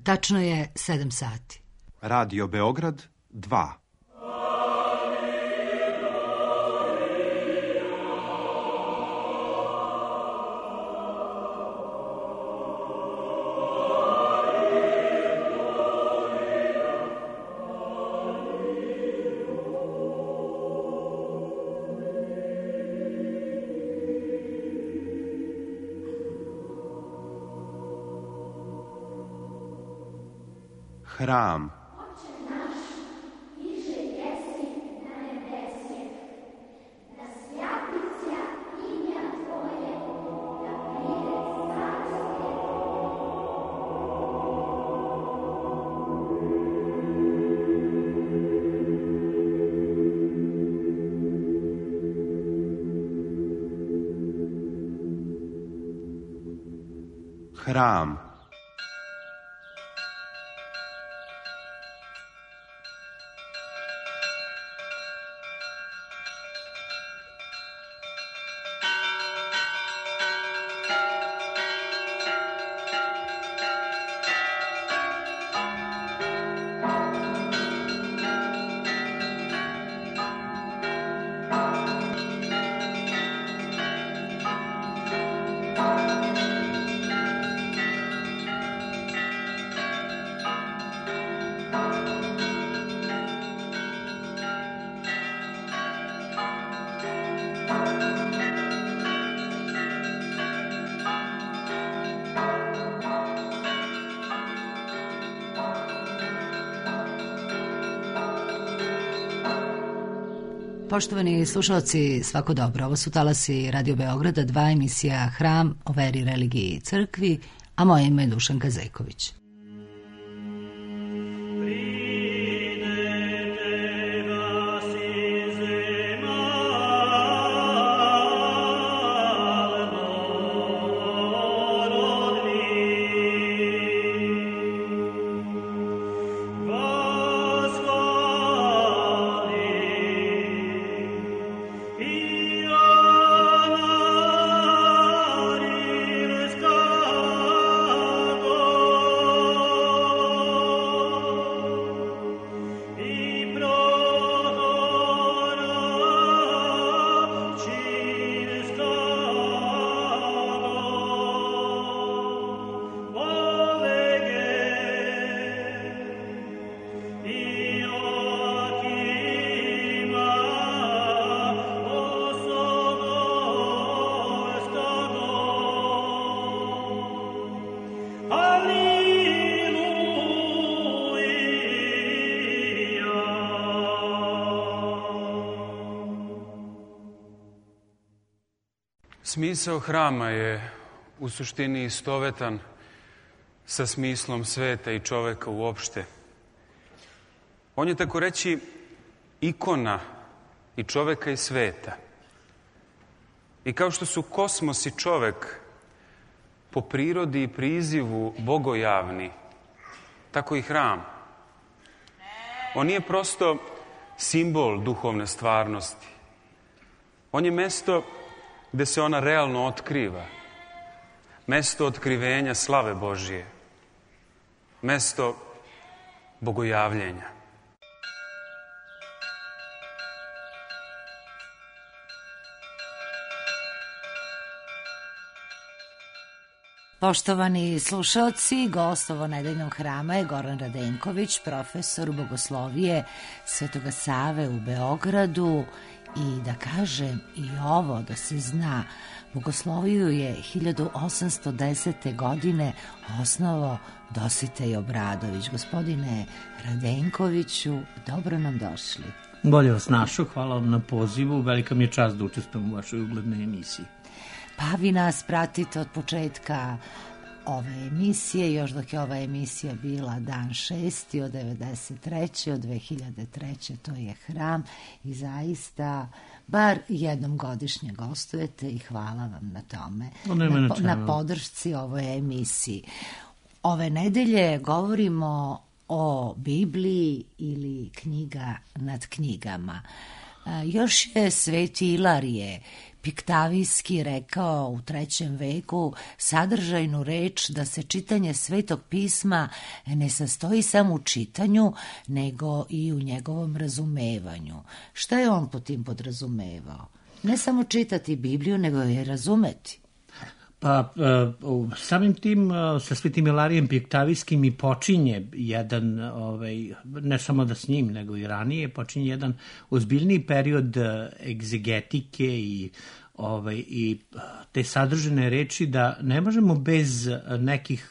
Tačno je 7 sati. Radio Beograd 2. Hram. Hram. Poštovani slušalci, svako dobro. Ovo su talasi Radio Beograda 2, emisija Hram o veri, religiji i crkvi, a moje ime je Dušanka Zejković. Smisao hrama je u suštini istovetan sa smislom sveta i čoveka uopšte. On je tako reći ikona i čoveka i sveta. I kao što su kosmos i čovek po prirodi i prizivu bogojavni, tako i hram. On nije prosto simbol duhovne stvarnosti. On je mesto gde se ona realno otkriva. Mesto otkrivenja slave Božije. Mesto bogojavljenja. Poštovani slušalci, gost ovonedeljnog hrama je Goran Radenković, profesor bogoslovije Svetoga Save u Beogradu. I da kažem i ovo, da se zna, bogosloviju je 1810. godine osnovao Dositej Obradović. Gospodine Radenkoviću, dobro nam došli. Bolje vas našao, hvala vam na pozivu, velika mi je čast da učestvujem u vašoj uglednoj emisiji. Pa vi nas pratite od početka ove emisije, još dok je ova emisija bila dan 6. od 93. od 2003. to je hram i zaista bar jednom godišnje gostujete i hvala vam na tome, na podršci ovoj emisiji. Ove nedelje govorimo o Bibliji ili knjiga nad knjigama. Još je Sveti Ilarije Piktavijski rekao u 3. veku sadržajnu reč da se čitanje Svetog pisma ne sastoji samo u čitanju, nego i u njegovom razumevanju. Šta je on po tim podrazumevao? Ne samo čitati Bibliju, nego je razumeti. Pa samim tim sa Svetim Ilarijem Piktavijskim i počinje jedan, ne samo da s njim, nego i ranije, počinje jedan ozbiljniji period egzegetike i te sadržene reči da ne možemo bez nekih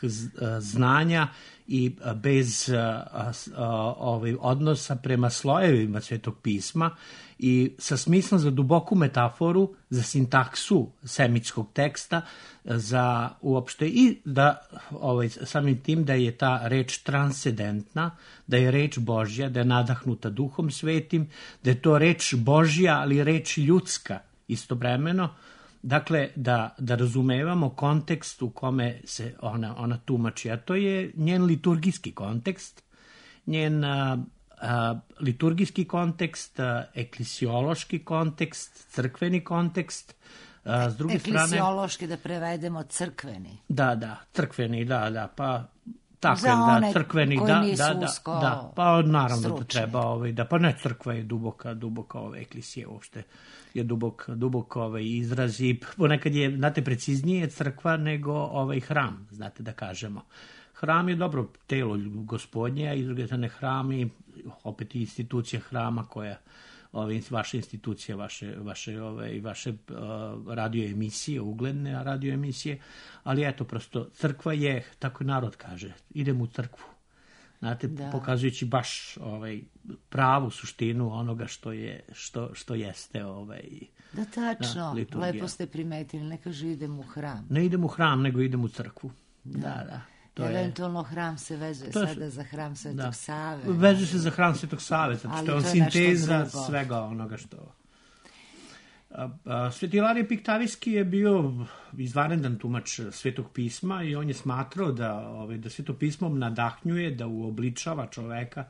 znanja i bez odnosa prema slojevima Svetog pisma i sa smislom za duboku metaforu, za sintaksu semitskog teksta, za uopšte i da samim tim da je ta reč transcendentna, da je reč Božja, da je nadahnuta Duhom Svetim, da je to reč Božja, ali reč ljudska istovremeno. Dakle, da razumevamo kontekst u kome se ona tumači, a to je njen liturgijski kontekst, njen liturgijski kontekst, eklesiološki kontekst, crkveni kontekst. S druge eklesiološki da prevedemo crkveni. Da, crkveni, da, pa tako za one crkveni, koji nisu usko da, pa naravno stručni. Da treba, pa ne, crkva je duboka eklisija uopšte, je dubok izraz i ponekad je, znate, preciznije crkva nego hram, znate da kažemo. Hram je dobro telo Gospodnje, a iz druge strane hram i opet institucija hrama koja vaše institucije, vaše radio emisije, ugledne radio emisije, ali eto, prosto, crkva je, tako narod kaže, idemo u crkvu. Znate, pokazujući baš pravu suštinu onoga što jeste Da, tačno, lepo ste primetili, ne kaže idem u hram. Ne idem u hram, nego idem u crkvu. Da. Eventualno hram se vezuje sada za hram Svetog Save. Vezuje se za hram Svetog Save, zato što je on sinteza svega onoga što... Sveti Ilarije Piktavijski je bio izvanredan tumač Svetog pisma i on je smatrao da Sveto pismo nadahnjuje, da uobličava čoveka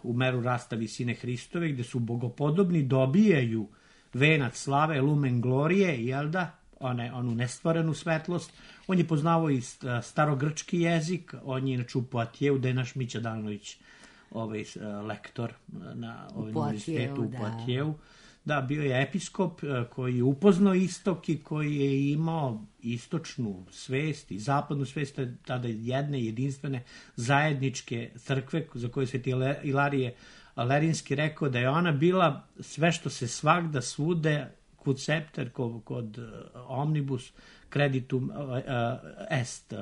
u meru rasta visine Hristove, gde su bogopodobni dobijaju venac slave, lumen glorije, jel da? Onu nestvorenu svetlost. On je poznavao i starogrčki jezik, on je inače u Poatjevu, da je naš Mića Danović lektor na univerzitetu u Poatjevu. Da, bio je episkop koji je upoznao istok i koji je imao istočnu svest i zapadnu svest, tada jedne jedinstvene zajedničke crkve za koje se Ilarije Lerinski rekao da je ona bila sve što se svagda svude kod septer, kod omnibus creditum est,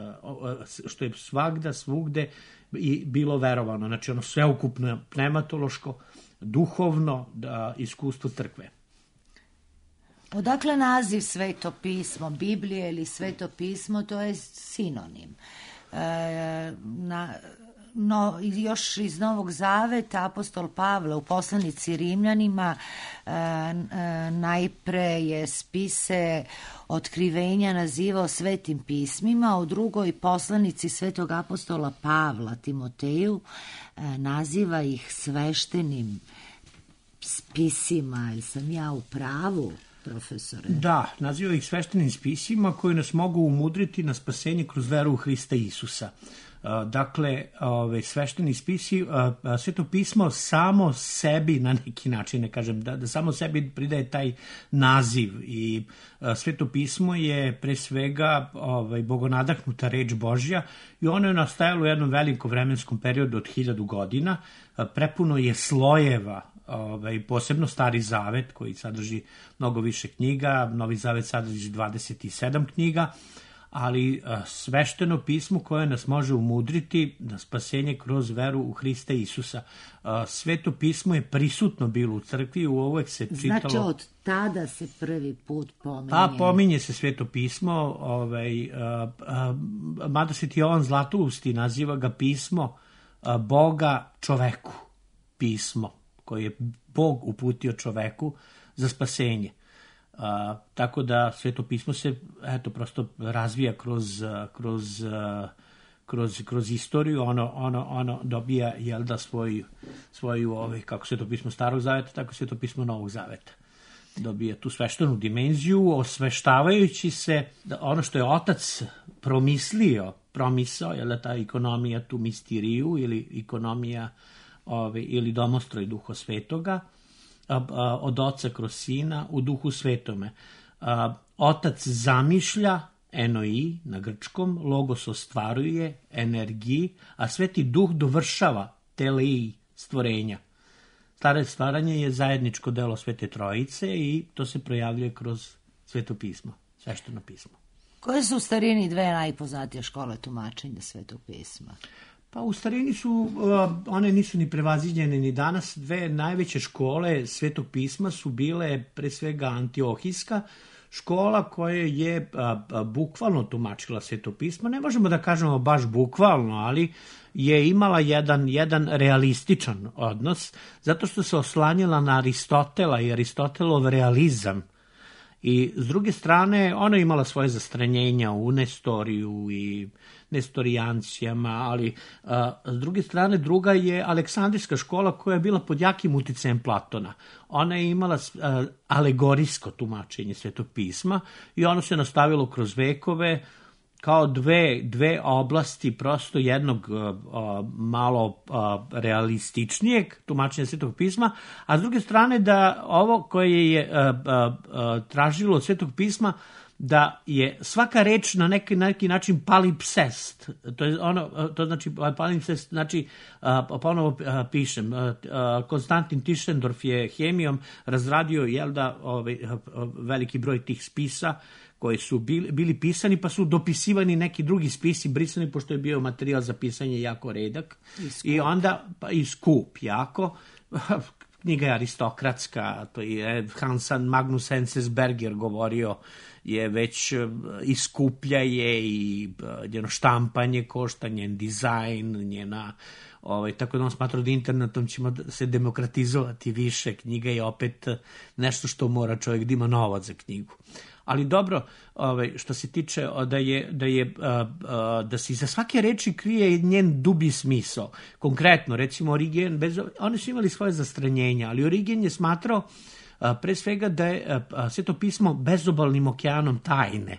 što je svagda, svugde i bilo verovano. Znači ono sveukupno pneumatološko, duhovno iskustvo crkve. Odakle naziv Sveto pismo, Biblije ili Sveto pismo, to je sinonim. Još iz Novog Zaveta apostol Pavle u poslanici Rimljanima najpre je spise otkrivenja nazivao svetim pismima, u drugoj poslanici svetog apostola Pavla Timoteju naziva ih sveštenim spisima. Ili sam ja u pravu, profesore? Da, naziva ih sveštenim spisima koji nas mogu umudriti na spasenje kroz veru u Hrista Isusa. Dakle, svešteni spisi, Sveto pismo samo sebi na neki način, ne kažem, da samo sebi pridaje taj naziv i Sveto pismo je pre svega bogonadahnuta reč Božja i ono je nastajalo u jednom velikom vremenskom periodu od 1000 godina, prepuno je slojeva, posebno Stari Zavet koji sadrži mnogo više knjiga, Novi Zavet sadrži 27 knjiga, ali svešteno pismo koje nas može umudriti na spasenje kroz veru u Hrista Isusa. Sveto pismo je prisutno bilo u crkvi, uvek se čitalo... Znači od tada se prvi put pominje... Pa pominje se Sveto pismo, mada Sveti Jovan Zlatousti naziva ga pismo Boga čoveku, pismo koje je Bog uputio čoveku za spasenje. Tako da Sveto pismo se prosto razvija kroz kroz istoriju, ono dobija, jel da, svoju kako Sveto pismo Starog zaveta, tako Sveto pismo Novog zaveta. Dobija tu sveštenu dimenziju, osveštavajući se da ono što je otac promisao, je da ta ekonomija tu mistiriju ili ekonomija ili domostroj Duha Svetoga, od oca kroz sina u Duhu Svetome. Otac zamišlja, enoi na grčkom, logos ostvaruje, energiji, a Sveti Duh dovršava telei stvorenja. Stvaranje je zajedničko delo Svete Trojice i to se projavljuje kroz Sveto pismo, svešteno pismo. Koje su u starini dve najpoznatije škole tumačenja Svetog pisma? Pa u starini su, one nisu ni prevaziđene ni danas, dve najveće škole Svetog pisma su bile pre svega Antiohijska škola koja je bukvalno tumačila Sveto pismo. Ne možemo da kažemo baš bukvalno, ali je imala jedan realističan odnos, zato što se oslanjala na Aristotela i Aristotelov realizam. I s druge strane, ona je imala svoje zastranjenja u Nestoriju i nestorijancijama, ali s druge strane, druga je Aleksandrijska škola koja je bila pod jakim uticajem Platona. Ona je imala alegorijsko tumačenje Svetog pisma i ono se nastavilo kroz vekove kao dve oblasti prosto jednog malo realističnijeg tumačenja Svetog pisma, a s druge strane da ovo koje je tražilo od Svetog pisma da je svaka reč na neki način palimpsest. To znači palimpsest, znači ponovo pišem. Konstantin Tischendorf je hemijom razradio veliki broj tih spisa koji su bili pisani, pa su dopisivani neki drugi spisi, brisani, pošto je bio materijal za pisanje jako redak. I onda i skup jako. Knjiga je aristokratska, to je Magnus Enzensberger govorio, je već i skuplja je i njeno štampanje košta, njen dizajn, njena tako da on smatra da internetom ćemo se demokratizovati više. Knjiga je opet nešto što mora čovjek da ima novac za knjigu. Ali dobro, što se tiče da se iza svake reči krije njen dublji smisao. Konkretno, recimo Origen, oni su imali svoje zastranjenja, ali Origen je smatrao pre svega da je Sveto pismo bezobalnim okeanom tajne.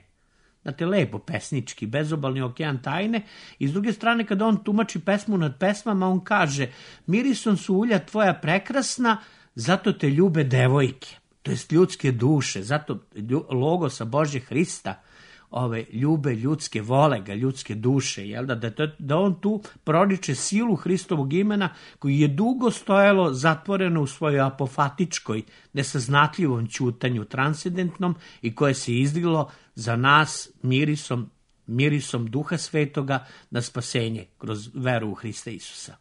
Znate, lepo, pesnički, bezobalni okean tajne. I s druge strane, kada on tumači pesmu nad pesmama, on kaže: mirisom su ulja tvoja prekrasna, zato te ljube devojke. To jest ljudske duše, zato logosa Božje Hrista ljube ljudske, vole ga ljudske duše, jel da on tu proriče silu Hristovog imena koji je dugo stojalo zatvoreno u svojoj apofatičkoj, nesaznatljivom ćutanju transcendentnom i koje se izdiglo za nas mirisom Duha Svetoga na spasenje kroz veru u Hrista Isusa.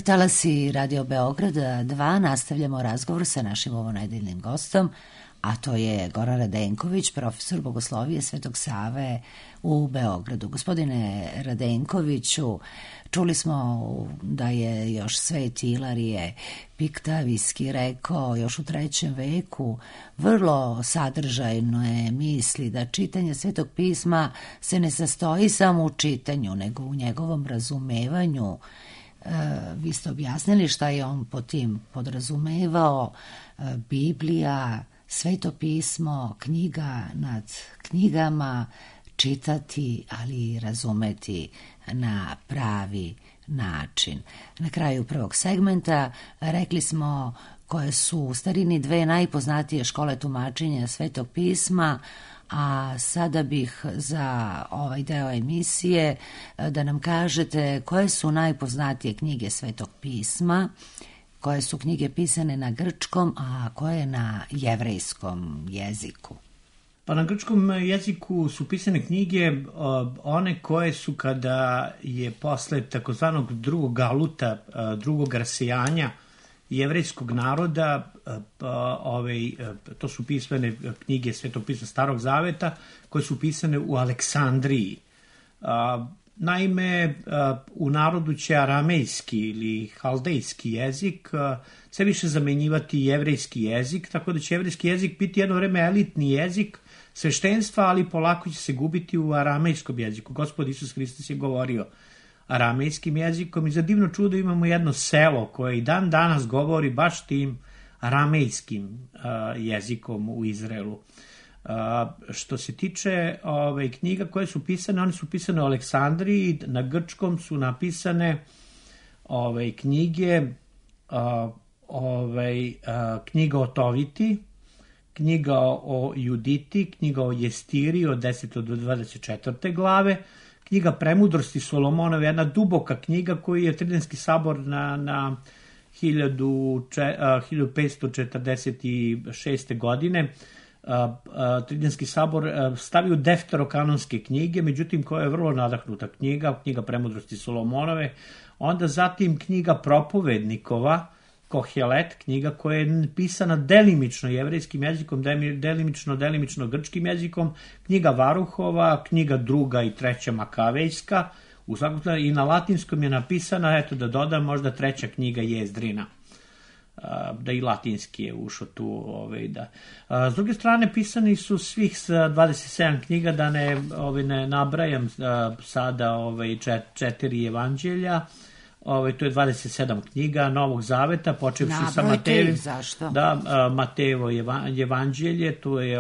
Talasi Radio Beograd 2, nastavljamo razgovor sa našim ovonedeljnim gostom, a to je Goran Radenković, profesor bogoslovije Svetog Save u Beogradu. Gospodine Radenkoviću, čuli smo da je još Sveti Ilarije Piktavijski rekao još u 3. veku vrlo sadržajno je misli da čitanje Svetog pisma se ne sastoji samo u čitanju, nego u njegovom razumevanju. Vi ste objasnili šta je on po tim podrazumevao. Biblija, Sveto pismo, knjiga nad knjigama, čitati, ali i razumeti na pravi način. Na kraju prvog segmenta rekli smo koje su u starini 2 najpoznatije škole tumačenja Svetog pisma, a sada bih za ovaj deo emisije da nam kažete koje su najpoznatije knjige Svetog pisma, koje su knjige pisane na grčkom, a koje na jevrejskom jeziku. Pa na grčkom jeziku su pisane knjige one koje su kada je posle takozvanog drugog galuta, drugog rasejanja jevrejskog naroda, to su pisane knjige Svetog pisma Starog Zaveta koje su pisane u Aleksandriji. Naime, u narodu će aramejski ili haldejski jezik sve više zamenjivati jevrejski jezik, tako da će jevrejski jezik biti jedno vreme elitni jezik sveštenstva, ali polako će se gubiti u aramejskom jeziku. Gospod Isus Hristos je govorio aramejskim jezikom i za divno čudo imamo jedno selo koje i dan danas govori baš tim aramejskim jezikom u Izraelu. Što se tiče knjiga koje su pisane, one su pisane u Aleksandriji, na grčkom su napisane knjige, knjiga o Toviti, knjiga o Juditi, knjiga o Jestiri od 10. do 24. glave, knjiga Premudrosti Solomonove, jedna duboka knjiga koju je Tridenski sabor na 1546. godine Tridenski sabor stavio defterokanonske knjige, međutim koja je vrlo nadahnuta knjiga Premudrosti Solomonove, onda zatim knjiga Propovednikova, Kohelet, knjiga koja je pisana delimično jevrejskim jezikom, delimično grčkim jezikom, knjiga Varuhova, knjiga 2. i 3. Makavejska, u svakom slučaju i na latinskom je napisana, eto da dodam, možda 3. knjiga Jezdrina, da i latinski je ušao tu. S druge strane, pisani su svih 27 knjiga, da ne nabrajam sada 4 evanđelja, to je 27 knjiga Novog Zaveta, počevši sa Matejevim. Zašto? Da, Matejevo evanđelje, to je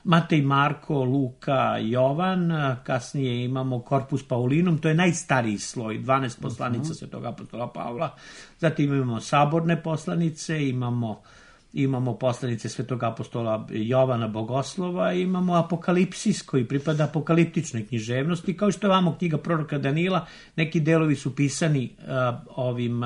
Matej, Marko, Luka, Jovan, kasnije imamo Corpus Paulinum, to je najstariji sloj, 12 poslanica Svetog apostola Pavla, zatim imamo saborne poslanice, imamo poslanice Svetog apostola Jovana Bogoslova, imamo Apokalipsis koji pripada apokaliptičnoj književnosti, kao što je vamo knjiga proroka Danila, neki delovi su pisani ovim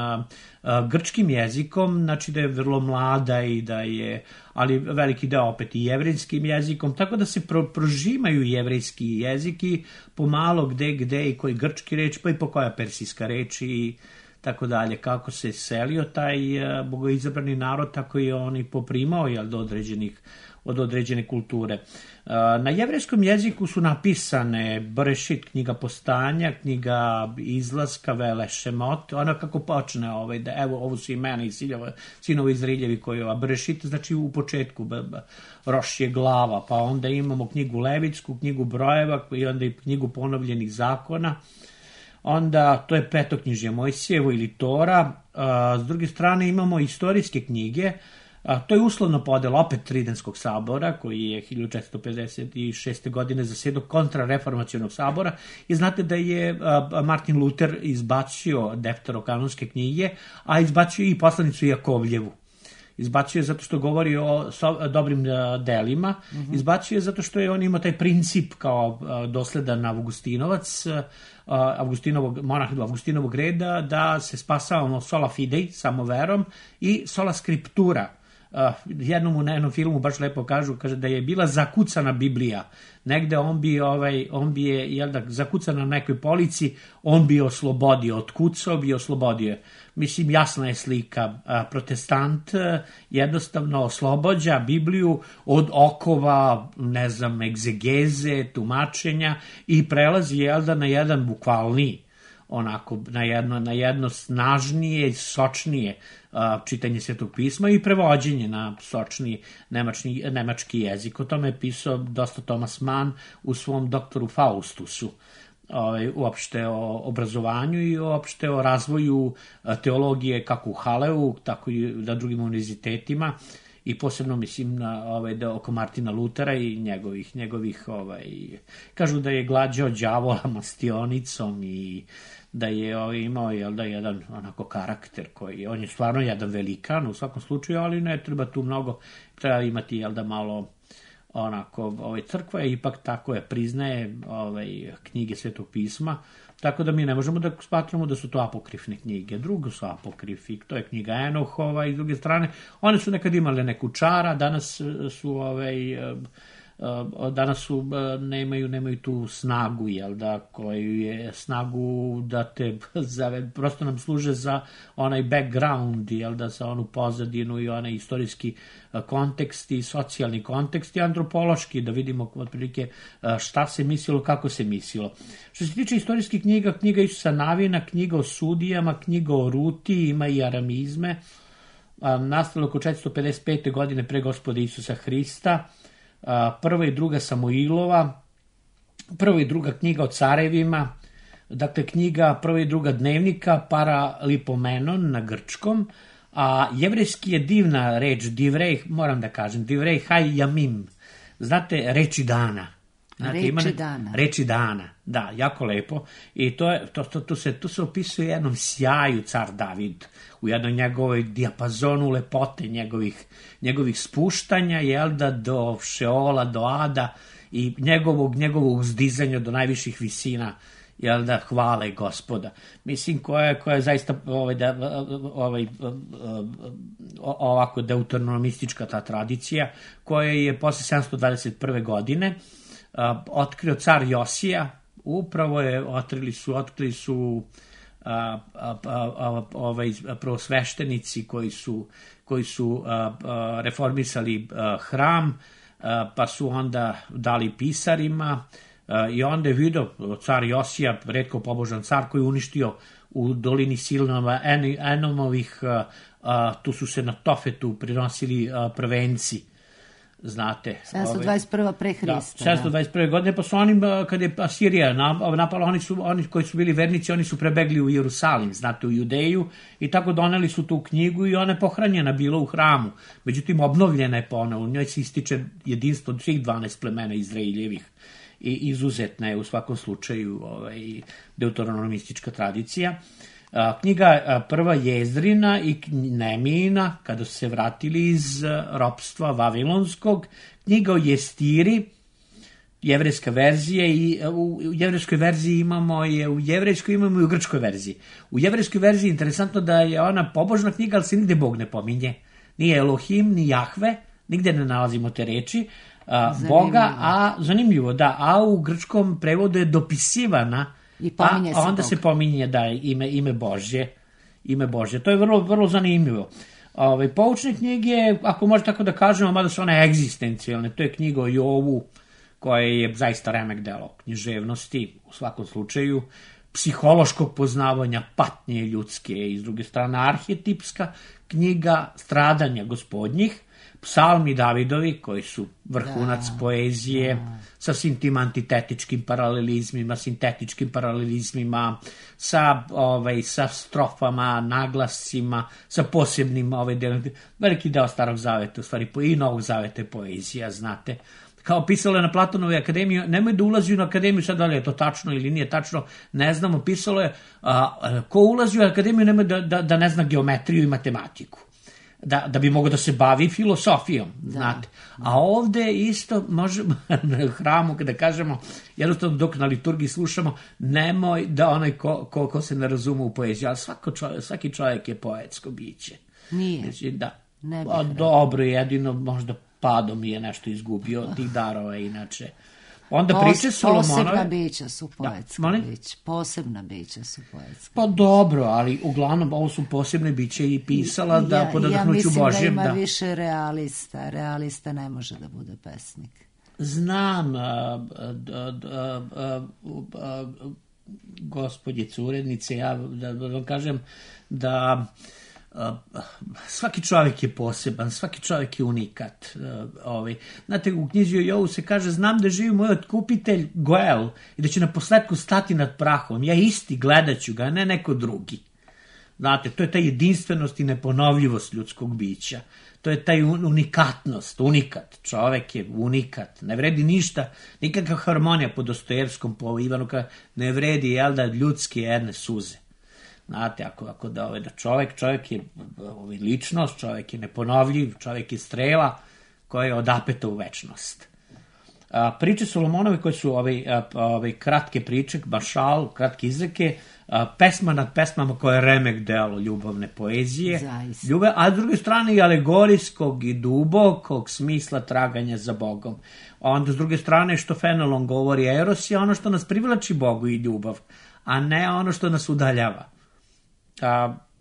grčkim jezikom, znači da je vrlo mlada i da je, ali veliki deo opet i jevrejskim jezikom, tako da se prožimaju jevrejski jezik i pomalo gde i koji grčki reč, pa i po koja persijska reč i tako dalje. Kako se selio taj bogoizabrani narod, tako i on i poprimao od određene kulture. Na jevrejskom jeziku su napisane Berešit, knjiga Postanja, knjiga Izlaska, Vele Šemot, ona kako počne, evo ovo su imena i sinovi Izraeljevi koji Berešit, znači u početku Roš je glava, pa onda imamo knjigu Levitsku, knjigu Brojeva i onda i knjigu ponovljenih zakona. Onda to je petoknjižje Mojsijevo ili Tora. S druge strane imamo istorijske knjige. To je uslovno podela opet Tridenskog sabora koji je 1456. godine zasedao kontrareformacionog sabora i znate da je Martin Luther izbacio defterokanonske knjige, a izbacio i poslanicu Jakovljevu. Izbacio je zato što govori o dobrim delima, izbacio je zato što je on imao taj princip kao dosledan Avgustinovac, monah Avgustinovog reda, da se spasavamo sola fidei, samo verom, i sola scriptura, jednom u jednom filmu baš lepo kažu, kaže da je bila zakucana Biblija. Negde on bi je, jel da, zakucana na nekoj polici, on bi oslobodio, otkucao bi oslobodio. Mislim, jasna je slika. Protestant jednostavno oslobođa Bibliju od okova, ne znam, egzegeze, tumačenja i prelazi, jel da, na jedan bukvalniji, onako, na jedno snažnije, sočnije čitanje Svetog pisma i prevođenje na sočniji nemački jezik. O tome je pisao dosta Thomas Mann u svom doktoru Faustusu, uopšte o obrazovanju i uopšte o razvoju teologije kako u Haleu, tako i na drugim univerzitetima, i posebno mislim na oko Martina Lutera i njegovih kažu da je glađao đavola mastionicom i da je imao, jel da, jedan onako karakter koji, on je stvarno jedan velikan u svakom slučaju, ali ne treba tu mnogo, treba imati, jel da, malo onako, crkva je ipak tako je, priznaje knjige Svetog pisma, tako da mi ne možemo da smatramo da su to apokrifne knjige. Drugo su apokrifi, to je knjiga Enohova i s druge strane, one su nekad imale neku čara, danas nemaju tu snagu, jel da, koju je snagu da te prosto nam služe za onaj background, jel da, za onu pozadinu i onaj istorijski kontekst i socijalni kontekst i antropološki, da vidimo otprilike šta se mislilo, kako se mislilo. Što se tiče istorijskih knjiga, knjiga Isusa Navina, knjiga o sudijama, knjiga o Ruti, ima i aramizme, nastalo oko 455. godine pre Gospoda Isusa Hrista, prva i druga Samuilova, prva i druga knjiga o carevima, dakle knjiga prva i druga dnevnika, Paralipomenon na grčkom, a jevrejski je divna reč, divrej, moram da kažem, divrej haj jamim, znate, reči dana. Reči dana, da, jako lepo. I tu se opisuje jednom sjaju car David, u jednoj njegovoj dijapazonu lepote, njegovih spuštanja, jel da, do Šeola, do Ada i njegovog uzdizanja do najviših visina, jel da, hvale Gospoda. Mislim, koja je zaista ovako deuteronomistička ta tradicija, koja je posle 721. godine otkrio car Josija, upravo je otkrili su prvosveštenici koji su reformisali hram, pa su onda dali pisarima, i onda je vidio car Josija, retko pobožan car, koji je uništio u dolini Silnova Enomovih, tu su se na Tofetu prinosili prvenci, znate. 721. pre Hrista. 721. godine, pa su oni, kad je Asirija napala, oni koji su bili vernici, oni su prebegli u Jerusalim, znate, u Judeju, i tako doneli su tu knjigu i ona je pohranjena bila u hramu. Međutim, obnovljena je ponovo, u njoj se ističe jedinstvo svih 12 plemena Izraeljevih i izuzetna je u svakom slučaju deuteronomistička tradicija. Knjiga prva Jezdrina i Nemijina, kada su se vratili iz ropstva vavilonskog, knjiga o Jestiri, jevrejska verzija, i u jevrejskoj verziji imamo i u grčkoj verziji. U jevrejskoj verziji je interesantno da je ona pobožna knjiga, ali se nigde Bog ne pominje. Nije Elohim, ni Jahve, nigde ne nalazimo te reči Boga, zanimljivo, da, a u grčkom prevodu je dopisivana, a onda se pominje da je ime Božje. To je vrlo, vrlo zanimljivo. Poučne knjige, ako može tako da kažemo, mada su one egzistencijalne, to je knjiga o Jovu, koja je zaista remek delo književnosti, u svakom slučaju, psihološkog poznavanja patnje ljudske, i s druge strane arhetipska knjiga stradanja gospodnjih, psalmi Davidovi, koji su vrhunac poezije, sa svim tim antitetičkim paralelizmima, sintetičkim paralelizmima, sa strofama, naglascima, sa posebnim veliki deo Starog zaveta, u stvari i Novog zaveta je poezija, znate. Kao pisalo je na Platonovoj akademiji, nemoj da ulazi u akademiju, sad da li je to tačno ili nije tačno, ne znamo, pisalo je, ko ulazi u akademiju nemoj da ne zna geometriju i matematiku. Da bi mogao da se bavi filosofijom, znate. A ovde isto možemo na hramu, kada kažemo, jednostavno dok na liturgiji slušamo, nemoj da onaj ko se ne razume u poeziju, ali svaki čovjek je poetsko biće. Nije. Znači, Ne bih Pa rekla. dobro, jedino možda padom je nešto izgubio tih darova inače. Onda priče Solomonove... Posebna bića su poetska molim? bića. Posebna bića su poetska. Pa dobro, ali uglavnom ovo su posebne biće i pisala da po nadahnuću Božjem. Ja mislim da ima više realista. Realista ne može da bude pesnik. Znam, gospođice urednice, ja da vam kažem da svaki čovjek je poseban, svaki čovjek je unikat. Znate, u knjizi o Jovu se kaže, znam da živi moj otkupitelj Goel i da će na posledku stati nad prahom. Ja isti gledat ću ga, a ne neko drugi. Znate, to je ta jedinstvenost i neponovljivost ljudskog bića. To je taj unikatnost, unikat. Čovek je unikat. Ne vredi ništa, nikakva harmonija po Dostojevskom, po Ivanuka, ne vredi, jel da, ljudske jedne suze. Znate, ako da čovek je ličnost, čovek je neponovljiv, čovek je strela koja je odapeta u večnost. Priče Solomonove koje su kratke priče, bašal, kratke izreke, pesma nad pesmama koja je remek delo ljubavne poezije, a s druge strane i alegorijskog i dubokog smisla traganja za Bogom. Onda s druge strane što Fenelon govori, eros je ono što nas privlači Bogu i ljubav, a ne ono što nas udaljava.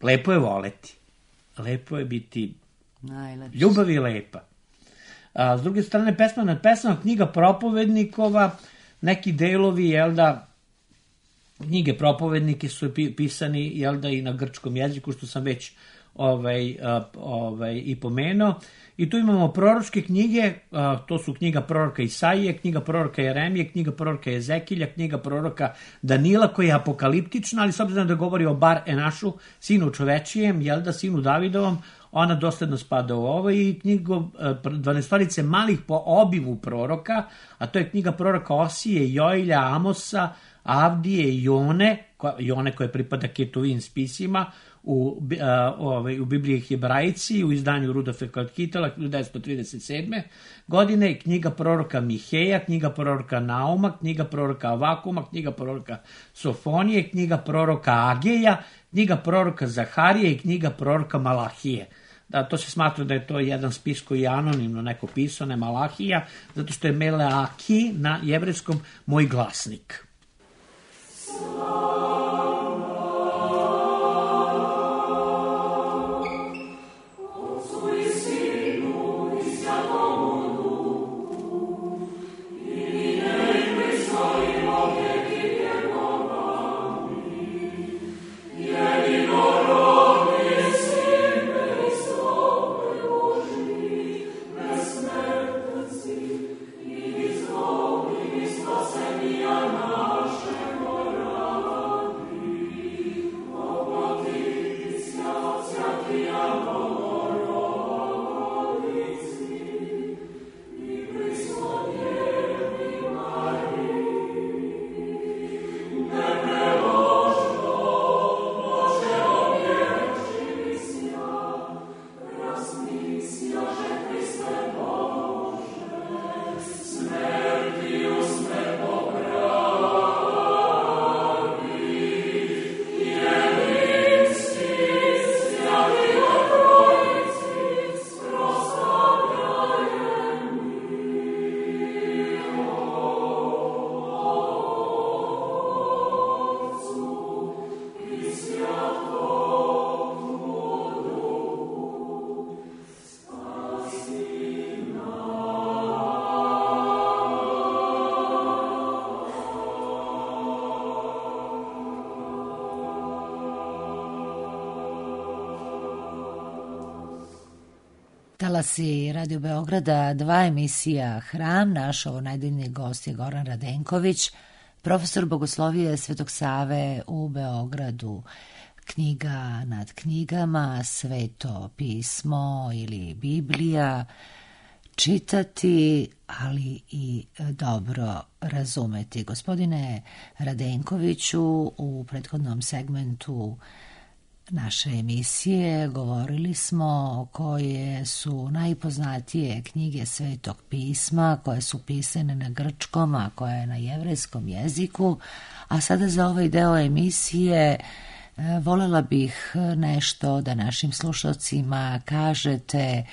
Lepo je voleti, lepo je biti najlepši. Ljubav je lepa. S druge strane, pesma nad pesmama, knjiga propovednikova, neki delovi, jel da, knjige propovednike su pisani, jel da, i na grčkom jeziku, što sam već i pomenuo. I tu imamo proročke knjige, to su knjiga proroka Isaije, knjiga proroka Jeremije, knjiga proroka Jezekilja, knjiga proroka Danila, koja je apokaliptična, ali s obzirom da govori o Bar Enašu, sinu čovečijem, jel da, sinu Davidovom, ona dosledno spada u ovo, i knjigu 12 malih po obimu proroka, a to je knjiga proroka Osije, Joilja, Amosa, Avdije i Jone koje pripada Ketuvin spisima, u Bibliji Hebrajci, u izdanju Rudolfa Kalkitela 1937. godine, knjiga proroka Miheja, knjiga proroka Nauma, knjiga proroka Avakuma, knjiga proroka Sofonije, knjiga proroka Ageja, knjiga proroka Zaharije i knjiga proroka Malahije. Da, to se smatra da je to jedan spis koji je anonimno neko pisao, ne Malahija, zato što je Meleaki na jevrejskom moj glasnik. Talasi Radio Beograda, 2 emisija Hram. Naš ovo najdeljni gost je Goran Radenković, profesor bogoslovije Svetog Save u Beogradu. Knjiga nad knjigama, Sveto pismo ili Biblija, čitati, ali i dobro razumeti. Gospodine Radenkoviću, u prethodnom segmentu naše emisije govorili smo koje su najpoznatije knjige Svetog pisma, koje su pisane na grčkom, a koje je na jevrejskom jeziku, a sada za ovaj deo emisije Volela bih nešto da našim slušalcima kažete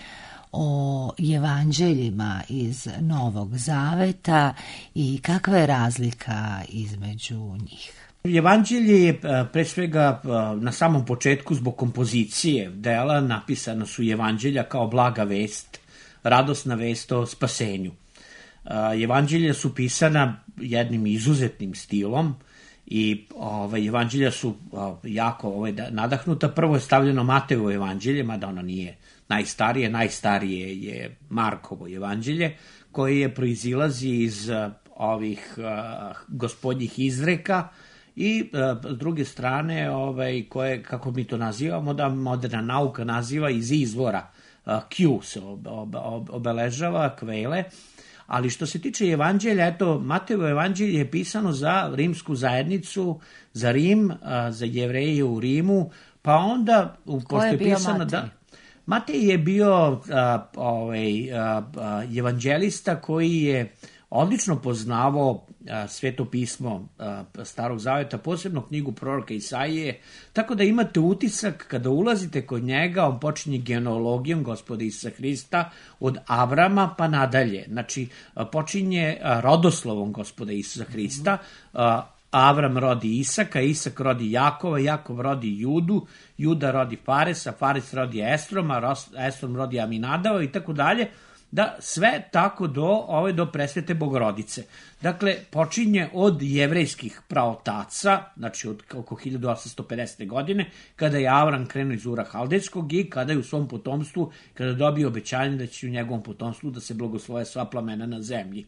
o evanđeljima iz Novog Zaveta i kakva je razlika između njih. Evanđelje je pre svega na samom početku zbog kompozicije dela napisana su evanđelja kao blaga vest, radosna vest o spasenju. Evanđelja su pisana jednim izuzetnim stilom i evanđelja su jako nadahnuta. Prvo je stavljeno Matejevo evanđelje, mada ono nije najstarije je Markovo evanđelje, koje proizilazi iz ovih gospodnjih izreka i s druge strane koje, kako mi to nazivamo, da moderna nauka naziva iz izvora, Q se obeležava, kvele. Ali što se tiče evanđelja, eto, Matejevo evanđelje je pisano za rimsku zajednicu, za Rim, za Jevreje u Rimu, pa onda... Ko je bio Matej? Matej je bio evanđelista koji je odlično poznavao Sveto pismo Starog Zaveta, posebno knjigu proroka Isaije, tako da imate utisak kada ulazite kod njega, on počinje genealogijom Gospoda Isusa Hrista od Avrama pa nadalje. Znači, počinje rodoslovom Gospoda Isusa Hrista, Avram rodi Isaka, Isak rodi Jakova, Jakov rodi Judu, Juda rodi Faresa, Fares rodi Estroma, Estrom rodi Aminadava i tako dalje, da sve tako do presvete Bogorodice. Dakle, počinje od jevrejskih praotaca, znači od oko 1850. godine, kada je Avram krenuo iz Ura Haldejskog i kada je u svom potomstvu, kada dobio obećanje da će u njegovom potomstvu da se blagosloje sva plamena na zemlji.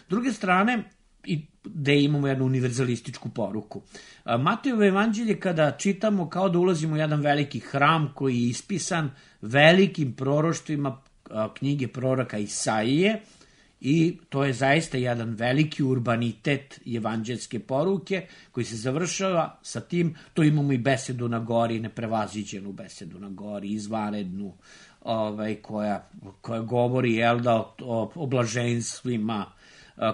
S druge strane, i gde imamo jednu univerzalističku poruku. Matejevo evanđelje kada čitamo kao da ulazimo u jedan veliki hram koji je ispisan velikim proroštvima knjige proroka Isaije i to je zaista jedan veliki urbanitet evanđelske poruke koji se završava sa tim, to imamo i besedu na gori, neprevaziđenu besedu na gori, izvanrednu, koja govori o blaženstvima,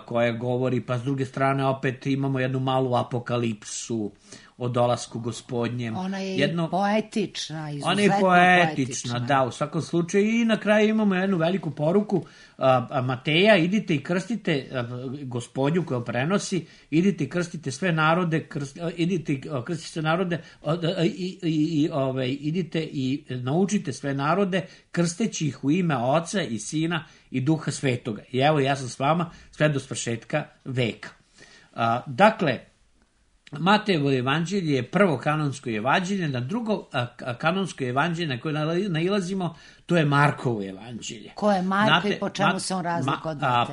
koja govori, pa s druge strane opet imamo jednu malu apokalipsu o dolasku Gospodnjem. Ona je poetična, izuzetno ona je poetična, da, u svakom slučaju. I na kraju imamo jednu veliku poruku Mateja, idite i krstite Gospodnju koja prenosi, idite i krstite sve narode, idite i naučite sve narode, krsteći ih u ime Oca i Sina i Duha Svetoga. I evo, ja sam s vama sve do svršetka veka. Dakle, Matejevo evanđelje je prvo kanonsko evanđelje, na drugo kanonsko evanđelje na koje nailazimo, to je Markovo evanđelje. Ko je Marko i po čemu se on razlikuje od Mateja?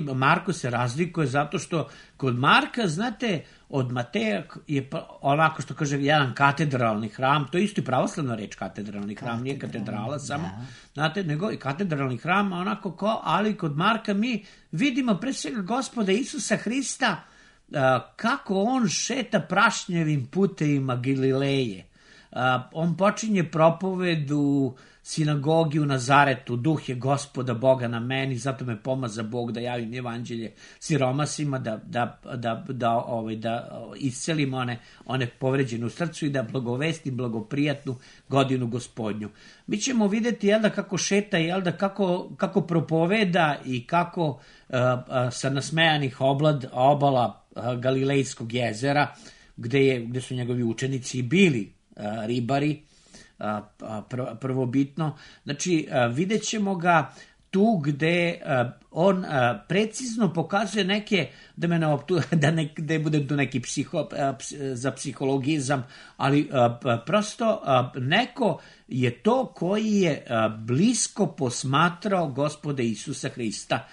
Pa Marko se razlikuje zato što kod Marka, znate, od Mateja je onako što kaže jedan katedralni hram, to je isto i pravoslavna reč katedralni hram, nije katedrala samo, znate, nego i katedralni hram, onako ali kod Marka mi vidimo pre svega Gospoda Isusa Hrista kako on šeta prašnjevim putevima Galileje. On počinje propoved u sinagogi u Nazaretu, duh je Gospoda Boga na meni, zato me pomaza Bog da javim evanđelje siromasima, da iscelim one povređene u srcu i da blagovestim blagoprijatnu godinu Gospodnju. Mi ćemo vidjeti kako šeta, kako propoveda i kako sa nasmejanih obala Galilejskog jezera, gde su njegovi učenici bili ribari, prvobitno. Znači, vidjet ćemo ga tu gde on precizno pokazuje neke, da ne budem tu neki za psihologizam, ali prosto neko je to koji je blisko posmatrao Gospoda Isusa Hrista,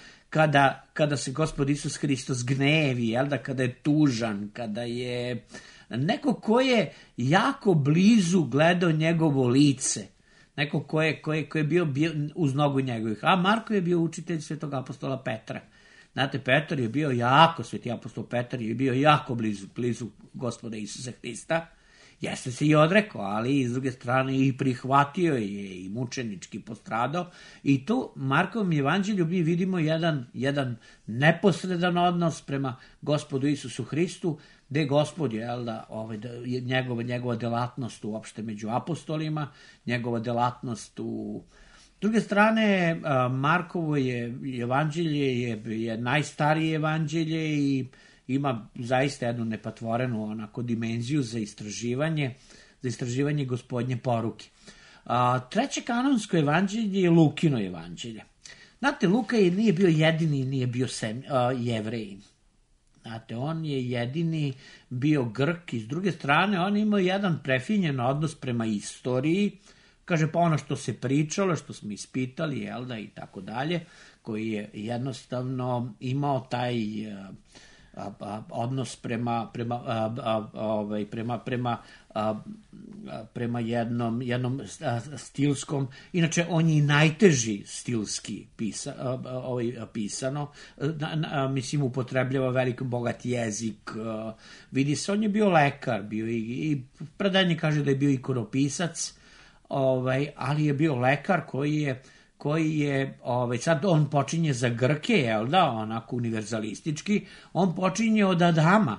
kada se Gospod Isus Hristos gnevi, kada je tužan, kada je neko ko je jako blizu gledao njegovo lice, neko ko je bio uz nogu njegovih. A Marko je bio učitelj svetog apostola Petra. Znate, Petar je bio sveti apostol Petar je bio jako blizu Gospoda Isusa Hrista Jeste se i odrekao, ali s druge strane i prihvatio je i mučenički postradao. I tu Markovom evanđelju mi vidimo jedan neposredan odnos prema Gospodu Isusu Hristu, gde je Gospod, njegova delatnost uopšte među apostolima, njegova delatnost u... S druge strane, Markovo evanđelje je najstarije evanđelje i ima zaista jednu nepatvorenu onako dimenziju za istraživanje Gospodnje poruke. Treće kanonsko evanđelje je Lukino evanđelje. Znate, Luka nije bio jedini, nije bio Jevrejin. Znate, on je jedini bio Grk i s druge strane on imao jedan prefinjen odnos prema istoriji, kaže pa ono što se pričalo, što smo ispitali, i tako dalje, koji je jednostavno imao taj odnos prema jednom stilskom, inače on je i najteži stilski pisano, mislim upotrebljava veliko bogat jezik, vidi se, on je bio lekar, bio i predanje kaže da je bio ikonopisac, ali je bio lekar koji je sad on počinje za Grke, onako univerzalistički, on počinje od Adama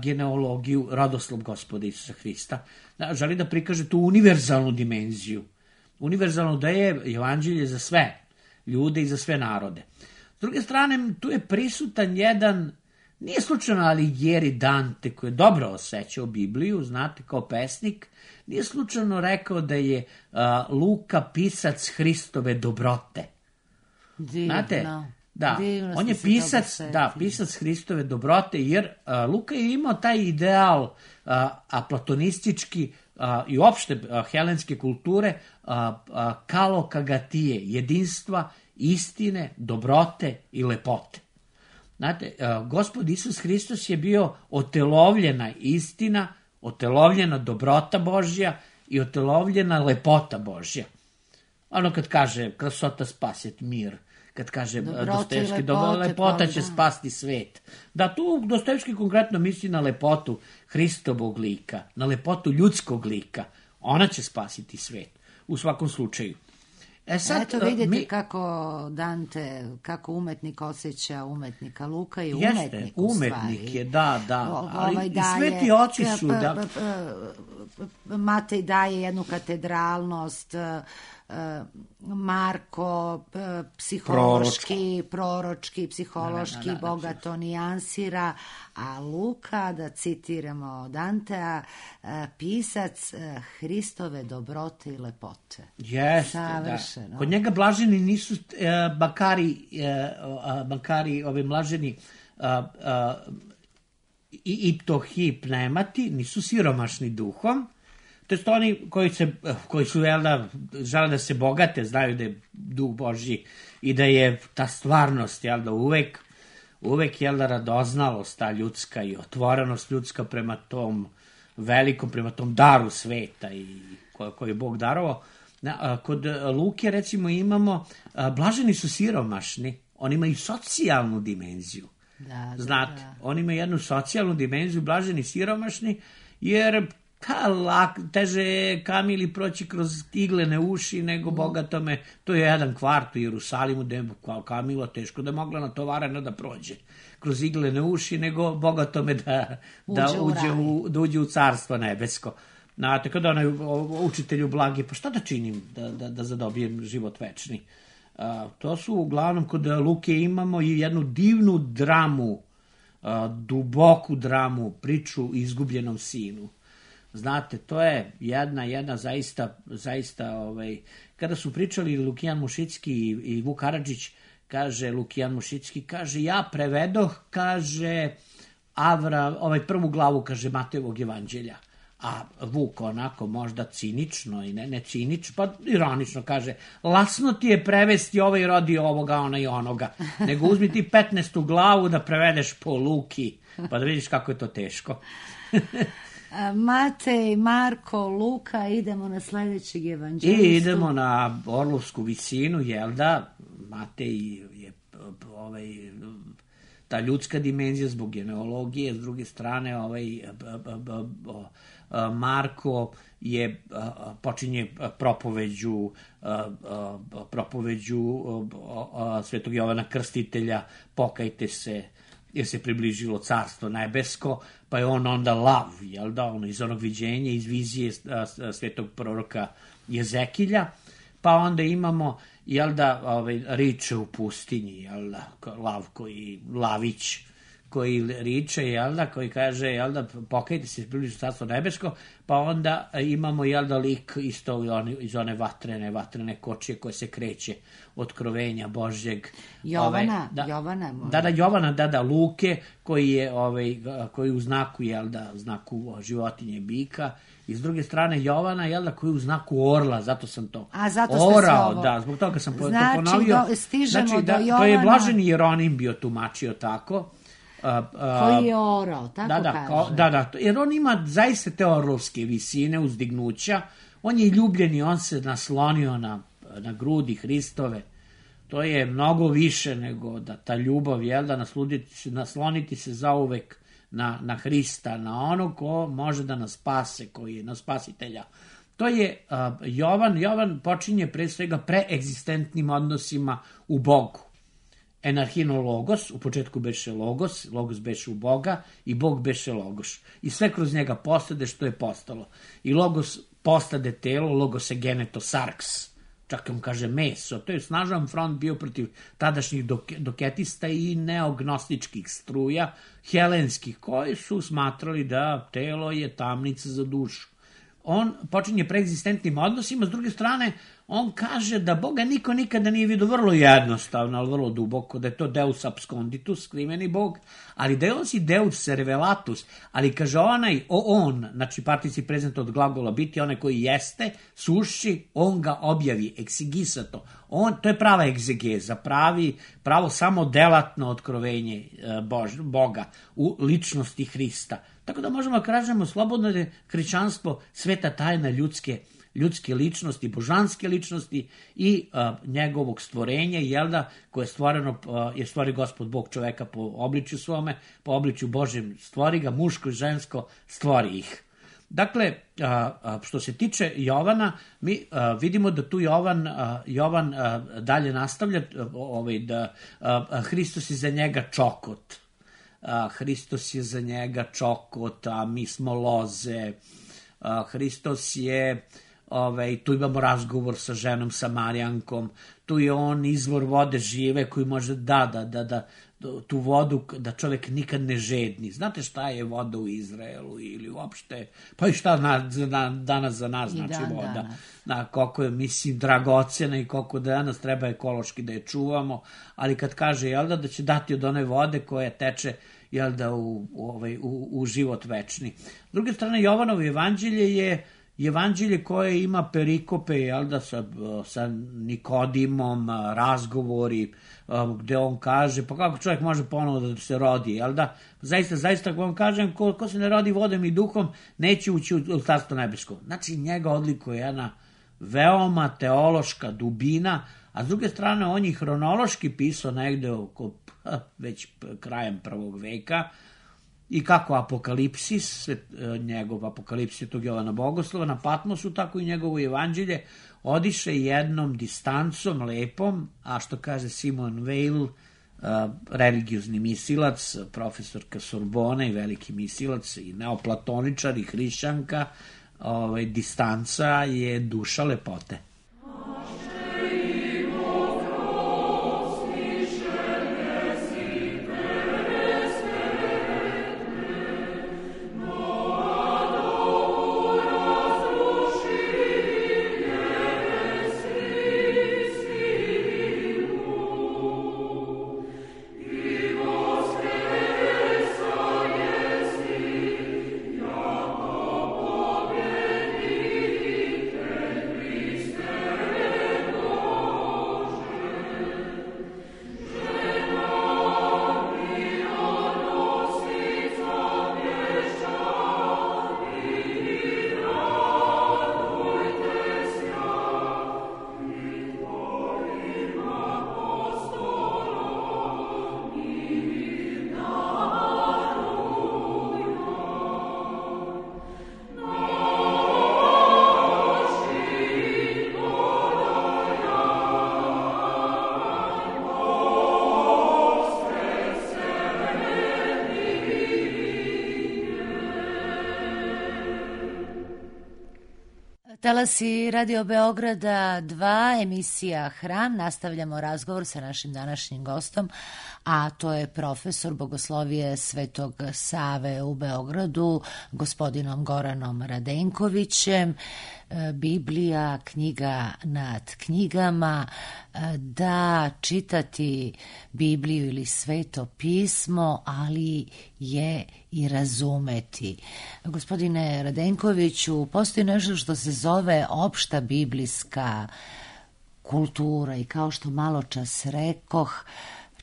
genealogiju, rodoslov Gospoda Isusa Hrista. Želi da prikaže tu univerzalnu dimenziju. Univerzalno da je evanđelje za sve ljude i za sve narode. S druge strane, tu je prisutan jedan, nije slučajno Alighieri Dante, koji je dobro osjećao Bibliju, znate, kao pesnik, nije slučajno rekao da je Luka pisac Hristove dobrote. Divno. Znate, da, on je pisac Hristove dobrote, jer Luka je imao taj ideal platonistički i uopšte helenske kulture kalokagatije, jedinstva, istine, dobrote i lepote. Znate, Gospod Isus Hristos je bio otelovljena istina, otelovljena dobrota Božja i otelovljena lepota Božja. Ono kad kaže krasota spaset mir, kad kaže Dostojevski lepota će spasti svet. Da, tu Dostojevski konkretno misli na lepotu Hristovog lika, na lepotu ljudskog lika. Ona će spasiti svet, u svakom slučaju. Eto vidite kako Dante, kako umetnik osjeća umetnika Luka i umetnik u stvari. Umetnik je, da, ali i sveti oci su... Matej daje jednu katedralnost, Marko proročki, psihološki, bogato nijansira, a Luka, da citiramo Dantea, pisac Hristove dobrote i lepote. Jeste, da. Kod njega blaženi nisu bankari, ove mlaženi iptohi pneumati, nisu siromašni duhom. To je oni koji su žele da se bogate, znaju da je duh Božji i da je ta stvarnost uvek radoznalost ta ljudska i otvorenost ljudska prema tom velikom, prema tom daru sveta i koji je Bog darovao. Kod Luke recimo imamo, blaženi su siromašni, oni imaju socijalnu dimenziju. Znate, oni imaju jednu socijalnu dimenziju, blaženi siromašni, jer teže je Kamili proći kroz iglene uši nego bogatome. To je jedan kvart u Jerusalimu gde je Kamila teško da je mogla natovarena da prođe kroz iglene uši nego bogatome da uđe u carstvo nebesko. Znate, kada onaj učitelju blagi, pa šta da činim da zadobijem život večni? To su uglavnom kod Luke imamo i jednu divnu dramu, duboku dramu, priču o izgubljenom sinu. Znate, to je jedna zaista, kada su pričali Lukijan Mušicki i Vuk Karadžić, kaže Lukijan Mušicki, kaže, ja prevedoh, kaže, prvu glavu, kaže, Matejevog evanđelja. A Vuk onako možda cinično i ne cinično, pa ironično kaže, lasno ti je prevesti ovaj rodi ovoga, ona i onoga, nego uzmi ti 15. glavu da prevedeš po Luki, pa da vidiš kako je to teško. Matej, Marko, Luka, idemo na sledećeg evanđelistu. I idemo na Orlovsku visinu, jel da? Matej je ta ljudska dimenzija zbog genealogije, s druge strane Marko počinje propoveđu Svetog Jovana Krstitelja, pokajte se jer se približilo carstvo nebesko, pa je on onda lav, jel da, ono iz onog viđenja, iz vizije svetog proroka Jezekilja, pa onda imamo, jel da, riče u pustinji, jel da, Lavić koji riče, jel da, koji kaže, jel da, pokajte se, približilo carstvo nebesko, pa onda imamo, jel da, lik isto iz one vatrene kočije koje se kreće, otkrovenja Božjeg. Jovana. Luke, koji je, koji u znaku, jel da, znaku životinje bika, i s druge strane Jovana, jel da, koji u znaku orla, zato sam to orao, da, zbog toga sam to ponovio. Stižemo do Jovana. To je Blaženi Jeronim bio tumačio tako. Koji je orao, tako kaže. Da, jer on ima zaista te orlovske visine, uzdignuća, on je ljubljeni, on se naslonio na grudi Hristove, to je mnogo više nego da ta ljubav, jel da, nasloniti se zauvek na Hrista, na onog ko može da nas spase, koji je na spasitelja. To je Jovan počinje pre svega preegzistentnim odnosima u Bogu. Enarhino logos, u početku beše logos beše u Boga i Bog beše logos. I sve kroz njega postade što je postalo. I logos postade telo, logos je geneto sarks, čak on kaže meso. To je snažan front bio protiv tadašnjih doketista i neognostičkih struja, helenskih, koji su smatrali da telo je tamnica za dušu. On počinje preegzistentnim odnosima, s druge strane, on kaže da Boga niko nikada nije vidio, vrlo jednostavno, ali vrlo duboko, da je to Deus absconditus, skriveni Bog, ali da je on si Deus revelatus, ali kaže on, znači particip prezent od glagola biti, onaj koji jeste, sušći, on ga objavi, exigisato. To je prava egzegeza, pravo samo delatno otkrovenje Boga u ličnosti Hrista. Tako da možemo da kažemo slobodno da je hrišćanstvo sveta tajna ljudske ličnosti, božanske ličnosti i njegovog stvorenja, jel da, koje je stvoreno, je stvorio Gospod Bog čoveka po obličju svome, po obličju Božjem stvori ga, muško i žensko stvori ih. Dakle, što se tiče Jovana, mi vidimo da tu Jovan dalje nastavlja da Hristos je za njega čokot. Hristos je za njega čokot, a mi smo loze. Hristos je, tu imamo razgovor sa ženom Samarijankom, tu je on izvor vode žive koji može da tu vodu, da čovjek nikad ne žedni. Znate šta je voda u Izraelu ili uopšte, pa i šta danas za nas znači voda. Koliko je, mislim, dragocena i koliko danas treba ekološki da je čuvamo, ali kad kaže, jel da će dati od one vode koja teče, jel da, u život večni. S druge strane, Jovanovo evanđelje je evanđelje koje ima perikope, jel da, sa Nikodimom, razgovori, gde on kaže, pa kako čovjek može ponovo da se rodi, jel da? Zaista, ako vam kažem, ko se ne rodi vodom i duhom, neće ući u carstvo nebesko. Znači, njega odlikuje jedna veoma teološka dubina, a s druge strane, on je hronološki pisao negde oko već krajem 1. veka, i kako Apokalipsis, njegov Apokalipsis Svetog Jovana Bogoslova na Patmosu, tako i njegovo evanđelje odiše jednom distancom lepom, a što kaže Simon Weil, religiozni misilac, profesorka Sorbone i veliki misilac i neoplatoničar i hrišćanka, distanca je duša lepote. Talasi Radio Beograda 2, emisija Hram. Nastavljamo razgovor sa našim današnjim gostom, a to je profesor bogoslovije Svetog Save u Beogradu, gospodinom Goranom Radenkovićem. Biblija, knjiga nad knjigama, da čitati Bibliju ili Sveto pismo, ali je i razumeti. Gospodine Radenkoviću, postoji nešto što se zove opšta biblijska kultura i kao što malo čas rekoh,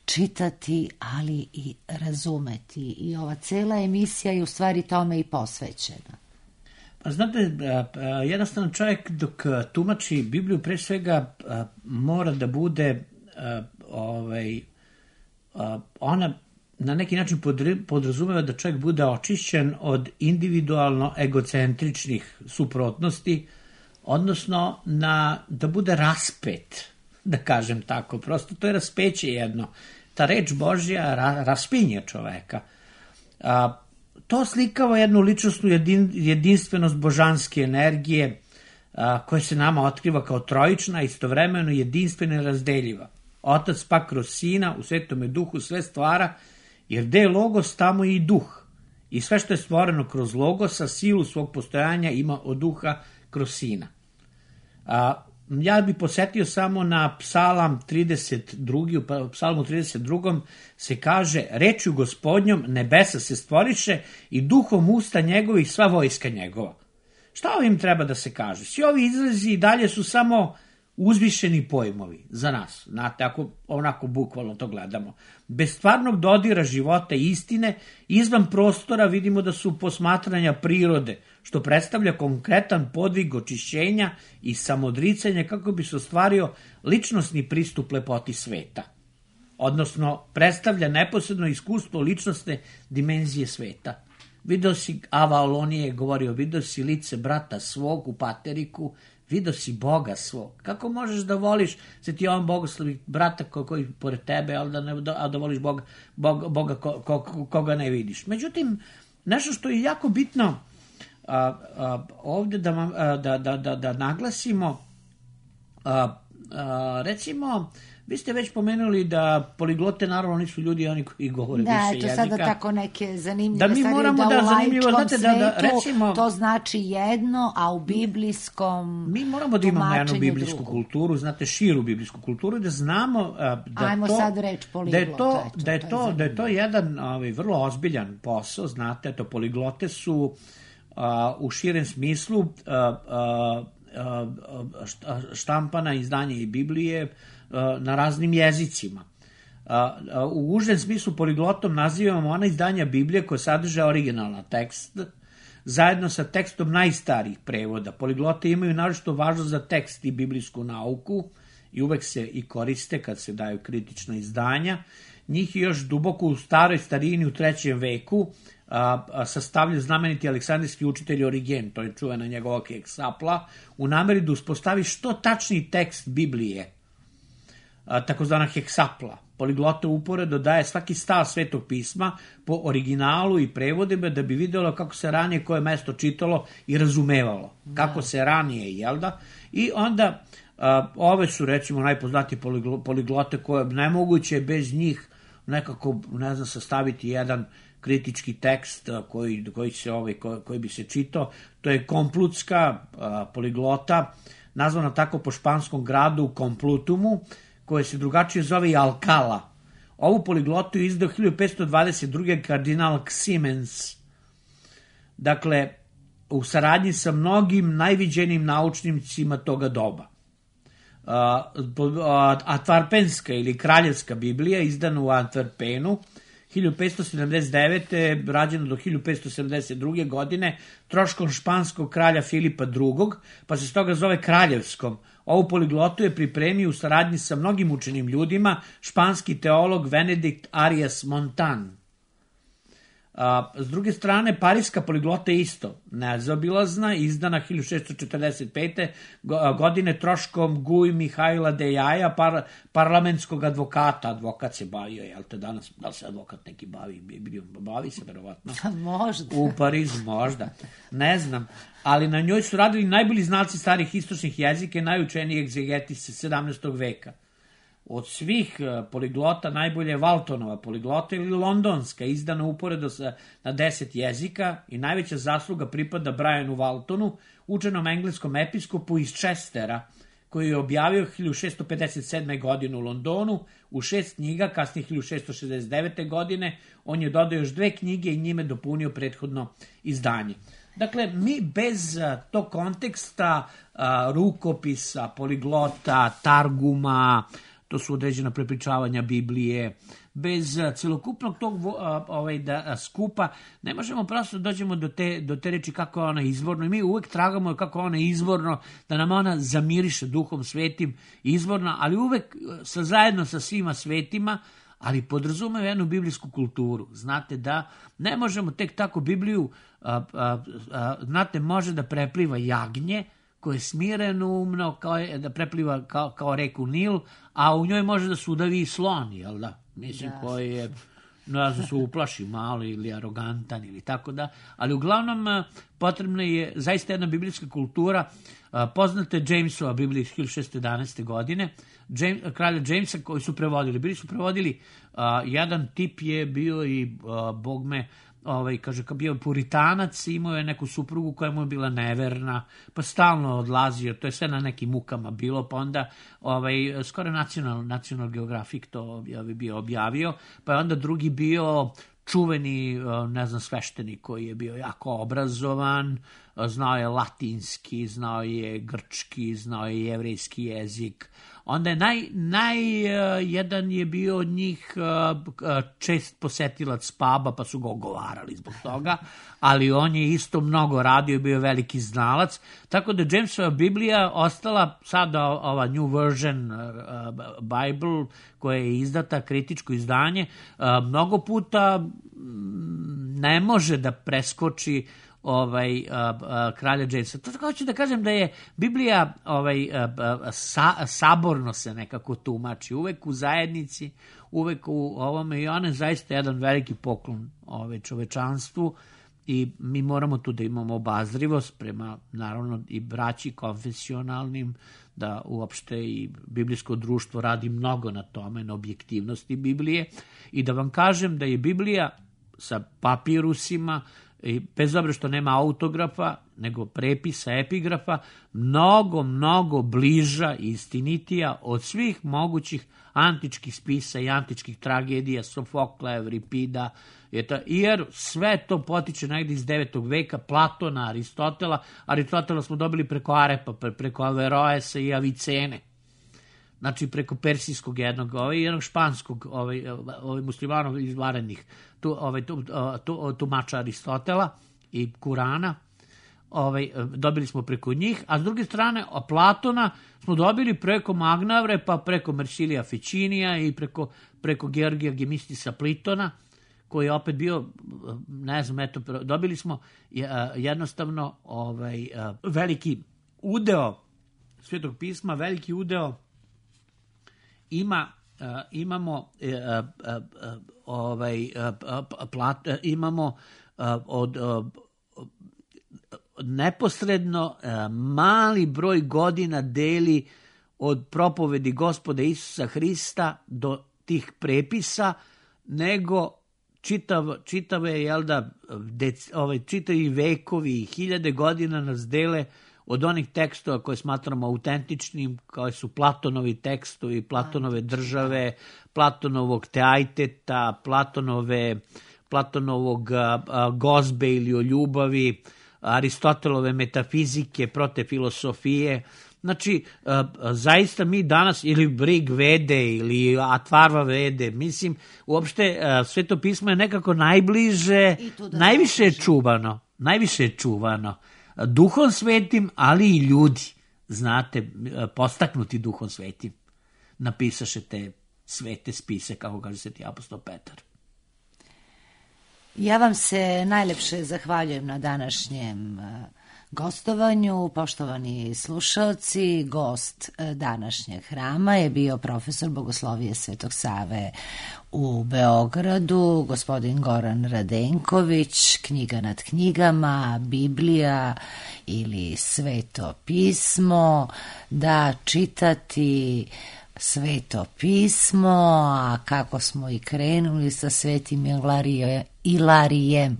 čitati, ali i razumeti. I ova cela emisija je u stvari tome i posvećena. Pa znate, jednostavno čovjek dok tumači Bibliju pre svega mora da bude ona na neki način podrazumeva da čovjek bude očišćen od individualno egocentričnih suprotnosti, odnosno da bude raspet, da kažem tako. Prosto to je raspeće jedno. Ta reč Božja raspinje čoveka. To slikava jednu ličnosnu jedinstvenost božanske energije koja se nama otkriva kao trojična, istovremeno jedinstvena i razdeljiva. Otac pa kroz Sina u Svetome Duhu sve stvara, jer gde je Logos, tamo je i Duh. I sve što je stvoreno kroz Logosa, silu svog postojanja ima od Duha kroz Sina. Ja bih posetio samo na Psalam 32. U Psalmu 32. se kaže: rečju Gospodnjom nebesa se stvoriše i duhom usta njegovih sva vojska njegova. Šta ovim treba da se kaže? Svi ovi izrazi i dalje su samo uzvišeni pojmovi za nas. Znate, ako onako bukvalno to gledamo. Bez stvarnog dodira života i istine, izvan prostora vidimo da su posmatranja prirode, što predstavlja konkretan podvig očišćenja i samodricanja kako bi se ostvario ličnosni pristup lepoti sveta. Odnosno, predstavlja neposredno iskustvo ličnostne dimenzije sveta. Video si, Ava Olonije je govorio, video si lice brata svog u Pateriku, video si Boga svog. Kako možeš da voliš Sveti Jovan Bogoslovi brata koji pored tebe, a da voliš Boga koga ne vidiš. Međutim, nešto što je jako bitno ovdje da naglasimo, recimo, vi ste već pomenuli da poliglote naravno nisu ljudi oni koji govore više jezika. Da, to sada tako neke zanimljive stvari, da u laičkom svetu recimo, to znači jedno, a u biblijskom mi moramo da imamo jednu biblijsku kulturu, znate, širu biblijsku kulturu, da znamo sad reč poliglot. Da je to jedan vrlo ozbiljan posao, znate, to poliglote su u širem smislu štampana izdanja i Biblije na raznim jezicima. U užem smislu poliglotom nazivamo ona izdanja Biblije koja sadrže originalan tekst, zajedno sa tekstom najstarijih prevoda. Poliglote imaju naročito važnost za tekst i biblijsku nauku i uvek se i koriste kad se daju kritična izdanja. Njih je još duboko u staroj starini u 3. veku sastavlja znameniti aleksandrijski učitelj Origen, to je čuvena njegova heksapla, u nameri da uspostavi što tačniji tekst Biblije, takozvana heksapla. Poliglote uporedo daje svaki stav Svetog pisma po originalu i prevodima da bi vidjelo kako se ranije koje mesto čitalo i razumevalo. Kako se ranije, jel da? I onda ove su recimo najpoznatije poliglote koje nemoguće bez njih nekako, ne znam, sastaviti jedan kritički tekst koji bi se čitao. To je komplutska poliglota, nazvana tako po španskom gradu u Komplutumu, koje se drugačije zove i Alcala. Ovu poliglotu je izdao 1522. kardinal Ximenes. Dakle, u saradnji sa mnogim najviđenim naučnicima toga doba. Antverpenska ili kraljevska Biblija, izdana u Antwerpenu, 1579. rađeno do 1572. godine, troškom španskog kralja Filipa II. Pa se stoga zove kraljevskom. Ovu poliglotu je pripremio u saradnji sa mnogim učenim ljudima španski teolog Benedikt Arias Montan. S druge strane, Pariska poliglota je isto nezaobilazna, izdana 1645. godine troškom Guy Mihajla de Jaja, parlamentskog advokata. Advokat se bavio, jel te danas, da li se advokat neki bavi se verovatno? Možda. U Parizu, možda. Ne znam. Ali na njoj su radili najbolji znalci starih istočnih jezika i najučeniji egzegetici 17. veka. Od svih poliglota najbolje je Waltonova poliglota ili londonska, izdana uporedo na 10 jezika i najveća zasluga pripada Brianu Waltonu, učenom engleskom episkopu iz Chestera, koji je objavio 1657. godine u Londonu u 6 knjiga, kasnije 1669. godine. On je dodao još 2 knjige i njime dopunio prethodno izdanje. Dakle, mi bez tog konteksta rukopisa, poliglota, targuma, to su određena prepričavanja Biblije, bez celokupnog tog skupa ne možemo prosto dođemo do te reči kako je ona izvorno i mi uvek tragamo kako ona izvorno, da nam ona zamiriše Duhom Svetim izvorno, ali uvek zajedno sa svima svetima, ali podrazumeva jednu biblijsku kulturu. Znate da ne možemo tek tako Bibliju, znate, može da prepliva jagnje koje je smireno umno, da prepliva kao reku Nil, a u njoj može da sudavi i slon, jel da? Mislim, koji je, ne znam, se uplaši malo ili arogantan ili tako da, ali uglavnom potrebna je zaista jedna biblijska kultura. Poznate Jamesova Biblija iz 1611. godine, kralja Jamesa, koji su prevodili. Bili su prevodili, jedan tip je bio i bogme, kaže, kao bio puritanac, imao je neku suprugu koja mu je bila neverna, pa stalno odlazio, to je sve na nekim mukama bilo, pa onda skoro National Geographic to bio objavio, pa je onda drugi bio čuveni, ne znam, sveštenik koji je bio jako obrazovan, znao je latinski, znao je grčki, znao je jevrejski jezik. Onda je jedan je bio od njih čest posetilac puba, pa su ga ogovarali zbog toga, ali on je isto mnogo radio i bio veliki znalac, tako da Jamesova Biblija ostala sada ova New Version Bible koja je izdata, kritičko izdanje, mnogo puta ne može da preskoči kralja Jamesa. To hoću da kažem da je Biblija saborno se nekako tumači, uvek u zajednici, uvek u ovome, i ona je zaista jedan veliki poklon čovečanstvu i mi moramo tu da imamo obazrivost prema, naravno, i braći konfesionalnim, da uopšte i biblijsko društvo radi mnogo na tome, na objektivnosti Biblije, i da vam kažem da je Biblija sa papirusima, i bez obzira što nema autografa, nego prepisa, epigrafa, mnogo bliža i istinitija od svih mogućih antičkih spisa i antičkih tragedija, Sofokla, Evripida, jer sve to potiče negdje iz 9. veka, Platona, Aristotela smo dobili preko Arepa, preko Averroesa i Avicene. Znači, preko persijskog jednog španskog muslimanov izvarenih tumača Aristotela i Kurana, dobili smo preko njih, a s druge strane Platona smo dobili preko Magnavre, pa preko Mersilija Ficinija i preko Georgija Gemistisa Plitona, koji je opet bio, ne znam, dobili smo jednostavno veliki udeo Svetog pisma, veliki udeo imamo od neposredno mali broj godina deli od propovedi Gospoda Isusa Hrista do tih prepisa, nego čitave, jel da, čitavi vekovi i hiljade godina nas dele od onih tekstova koje smatramo autentičnim, kao su Platonovi tekstovi, Platonove države, Platonovog Teaiteta, Platonovog gozbe ili o ljubavi, Aristotelove metafizike, protefilosofije. Znači, zaista mi danas, ili Brig Vede, ili Atvarva Vede, mislim, uopšte Sveto pismo je nekako najbliže, najviše je čuvano. Duhom Svetim, ali i ljudi, znate, postaknuti Duhom Svetim, napisaše te svete spise, kako kaže sveti apostol Petar. Ja vam se najlepše zahvaljujem na današnjem gostovanju. Poštovani slušalci, gost današnjeg hrama je bio profesor Bogoslovije Svetog Save u Beogradu, gospodin Goran Radenković, Knjiga nad knjigama, Biblija ili Sveto pismo, da čitati Sveto pismo, a kako smo i krenuli sa Svetim Ilarijem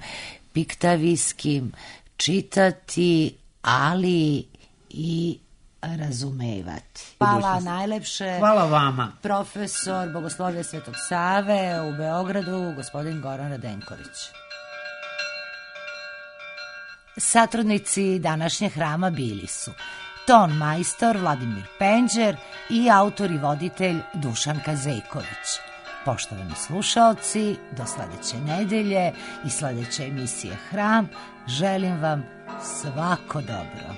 Piktavijskim, čitati, ali i razumevati. Hvala najlepše. Hvala vama. Profesor Bogoslovije Svetog Save u Beogradu, gospodin Goran Radenković. Satrudnici današnjeg hrama bili su ton majstor Vladimir Penđer i autor i voditelj Dušan Kazejković. Poštovani slušaoci, do sledeće nedelje i sledeće emisije Hram želim vam svako dobro.